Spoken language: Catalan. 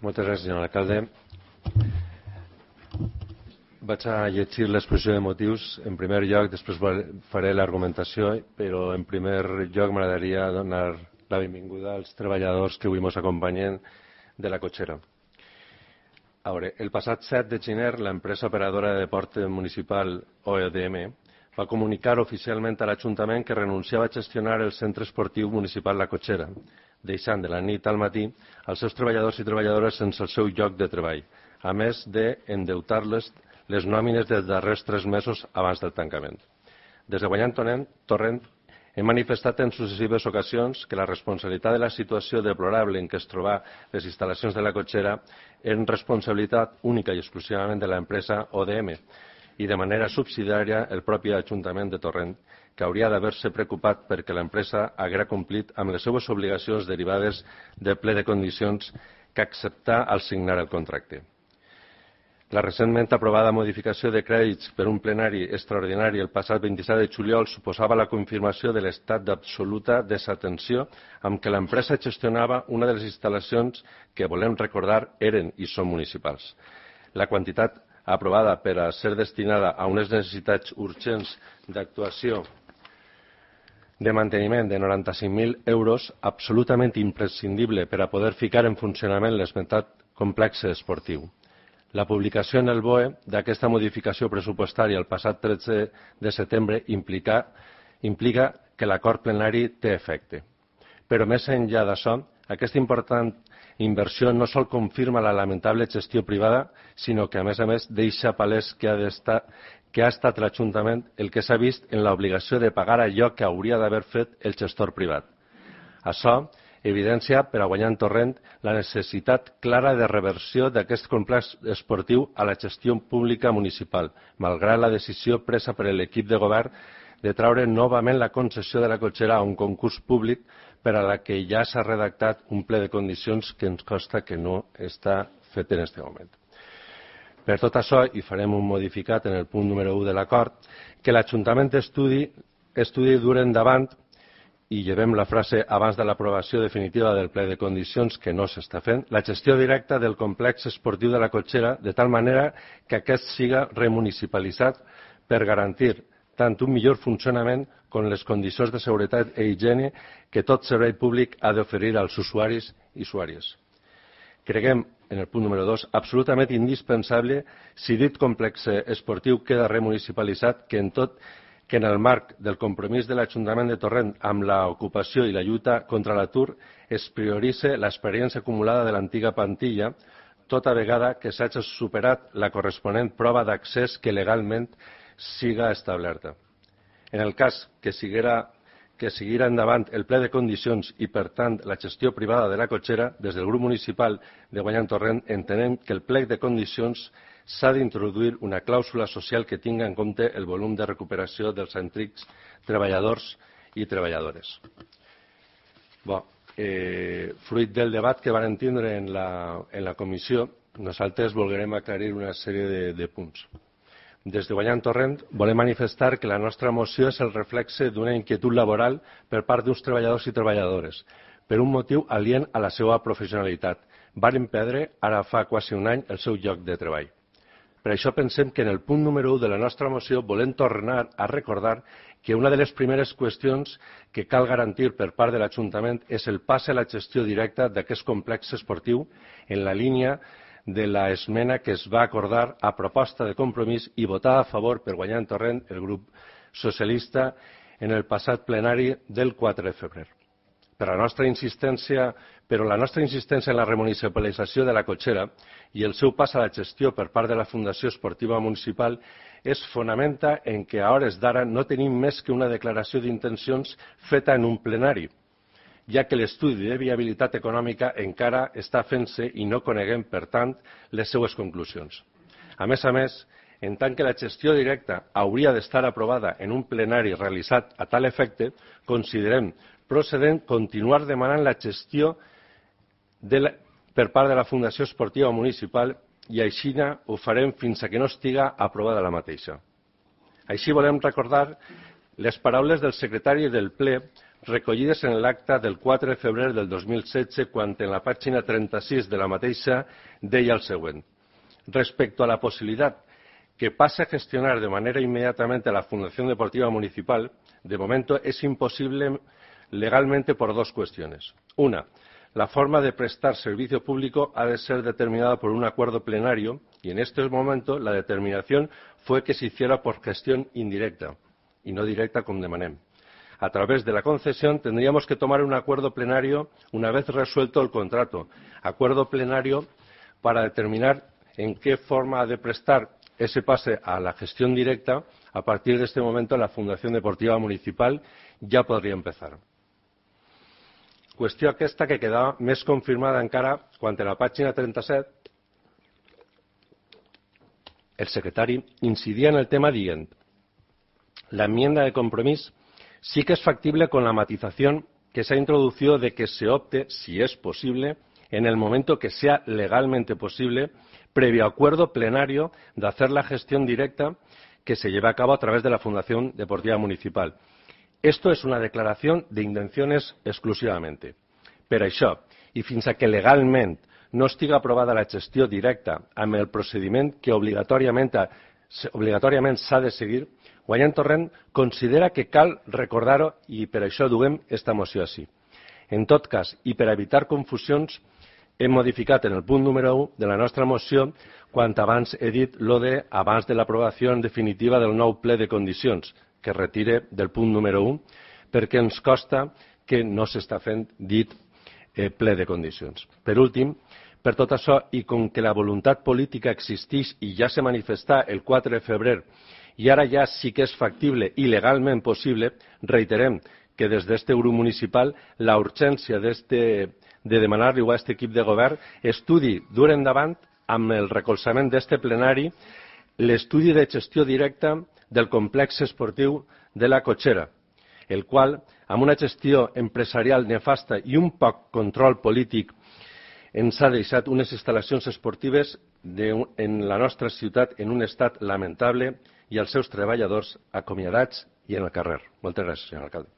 Moltes gràcies, senyor alcalde. Vaig a llegir l'exposició de motius en primer lloc, després faré l'argumentació, però en primer lloc m'agradaria donar la benvinguda als treballadors que avui ens acompanyen de la cotxera. A veure, el passat 7 de gener, l'empresa operadora de port municipal OEDM va comunicar oficialment a l'Ajuntament que renunciava a gestionar el centre esportiu municipal La Cotxera, deixant de la nit al matí els seus treballadors i treballadores sense el seu lloc de treball, a més d'endeutar-les les nòmines dels darrers 3 mesos abans del tancament. Des de Guanyant Torrent hem manifestat en successives ocasions que la responsabilitat de la situació deplorable en què es troba les instal·lacions de La Cotxera eren responsabilitat única i exclusivament de l'empresa ODM i de manera subsidiària el propi Ajuntament de Torrent, que hauria d'haver-se preocupat perquè l'empresa haguera complit amb les seves obligacions derivades del ple de condicions que acceptà al signar el contracte. La recentment aprovada modificació de crèdits per un plenari extraordinari el passat 27 de juliol suposava la confirmació de l'estat d'absoluta desatenció amb què l'empresa gestionava una de les instal·lacions que, volem recordar, eren i són municipals. La quantitat aprovada per a ser destinada a unes necessitats urgents d'actuació de manteniment de 95.000 euros, absolutament imprescindible per a poder ficar en funcionament l'esmentat complex esportiu. La publicació en el BOE d'aquesta modificació pressupostària el passat 13 de setembre implica que l'acord plenari té efecte. Però més enllà d'això, aquesta important inversió no sol confirma la lamentable gestió privada, sinó que, a més, deixa palès que ha estat l'Ajuntament el que s'ha vist en l'obligació de pagar allò que hauria d'haver fet el gestor privat. Això evidencia per a Guanyant Torrent la necessitat clara de reversió d'aquest complex esportiu a la gestió pública municipal, malgrat la decisió presa per l'equip de govern de traure novament la concessió de La Cotxera a un concurs públic per a la que ja s'ha redactat un ple de condicions que ens consta que no està fet en aquest moment. Per tot això, i farem un modificat en el punt número 1 de l'acord, que l'Ajuntament estudi dur endavant, i llevem la frase abans de l'aprovació definitiva del ple de condicions que no s'està fent, la gestió directa del complex esportiu de La Cotxera, de tal manera que aquest siga remunicipalitzat per garantir tant un millor funcionament com les condicions de seguretat i higiene que tot servei públic ha d'oferir als usuaris i usuàries. Creguem, en el punt número 2, absolutament indispensable, si dit complex esportiu queda remunicipalitzat, que en el marc del compromís de l'Ajuntament de Torrent amb l'ocupació i la lluita contra l'atur es prioritzi l'experiència acumulada de l'antiga plantilla, tota vegada que s'hagi superat la corresponent prova d'accés que legalment siga establerta. En el cas que seguirà endavant el ple de condicions i, per tant, la gestió privada de La Cotxera, des del grup municipal de Guanyant Torrent entenem que el plec de condicions s'ha d'introduir una clàusula social que tingui en compte el volum de recuperació dels antics treballadors i treballadores. Fruit del debat que vam tindre en la comissió, nosaltres volguem aclarir una sèrie de punts. Des de Guanyant Torrent volem manifestar que la nostra moció és el reflexe d'una inquietud laboral per part d'uns treballadors i treballadores, per un motiu alient a la seva professionalitat. Varen perdre, ara fa quasi un any, el seu lloc de treball. Per això pensem que en el punt número 1 de la nostra moció volem tornar a recordar que una de les primeres qüestions que cal garantir per part de l'Ajuntament és el pas a la gestió directa d'aquest complex esportiu en la línia de l'esmena que es va acordar a proposta de compromís i votada a favor per Guanyant Torrent el grup socialista en el passat plenari del 4 de febrer. Però la nostra insistència en la remunicipalització de La Cotxera i el seu pas a la gestió per part de la Fundació Esportiva Municipal es fonamenta en que a hores d'ara no tenim més que una declaració d'intencions feta en un plenari, ja que l'estudi de viabilitat econòmica encara està fent-se i no coneguem, per tant, les seues conclusions. A més, en tant que la gestió directa hauria d'estar aprovada en un plenari realitzat a tal efecte, considerem procedent continuar demanant la gestió per part de la Fundació Esportiva Municipal i així ho farem fins que no estiga aprovada la mateixa. Així volem recordar les paraules del secretari del ple recollides en l'acta del 4 de febrer del 2016, quan en la pàgina 36 de la mateixa deia el següent. Respecto a la posibilidad que pase a gestionar de manera inmediatamente la Fundación Deportiva Municipal, de momento es imposible legalmente por dos cuestiones. Una, la forma de prestar servicio público ha de ser determinada por un acuerdo plenario y en este momento la determinación fue que se hiciera por gestión indirecta y no directa como demanem. A través de la concesión tendríamos que tomar un acuerdo plenario una vez resuelto el contrato. Acuerdo plenario para determinar en qué forma de prestar ese pase a la gestión directa. A partir de este momento la Fundació Deportiva Municipal ja podria empezar. Qüestió aquesta que quedava més confirmada encara quan en la pàgina 37 el secretari incidia en el tema dient: la enmienda de compromiso sí que es factible con la matización que se ha introducido de que se opte, si es posible, en el momento que sea legalmente posible, previo acuerdo plenario de hacer la gestión directa que se lleve a cabo a través de la Fundación Deportiva Municipal. Esto es una declaración de intenciones exclusivamente. Per això, i fins a que legalment no estiga aprovada la gestió directa amb el procediment que obligatòriament s'ha de seguir, Guanyant Torrent considera que cal recordar-ho i per això duem esta moció així. En tot cas, i per evitar confusions, hem modificat en el punt número 1 de la nostra moció quan abans he dit lo de abans de l'aprovació definitiva del nou ple de condicions, que retire del punt número 1, perquè ens costa que no s'està fent dit ple de condicions. Per últim, per tot això, i com que la voluntat política existeix i ja se manifestà el 4 de febrer i ara ja sí que és factible i legalment possible, reiterem que des d'este grup municipal la urgència de demanar-li a aquest equip de govern estudi dur endavant amb el recolzament d'este plenari l'estudi de gestió directa del complex esportiu de la Cotxera, el qual, amb una gestió empresarial nefasta i un poc control polític, ens ha deixat unes instal·lacions esportives en la nostra ciutat en un estat lamentable i els seus treballadors acomiadats i en el carrer. Moltes gràcies, senyor alcalde.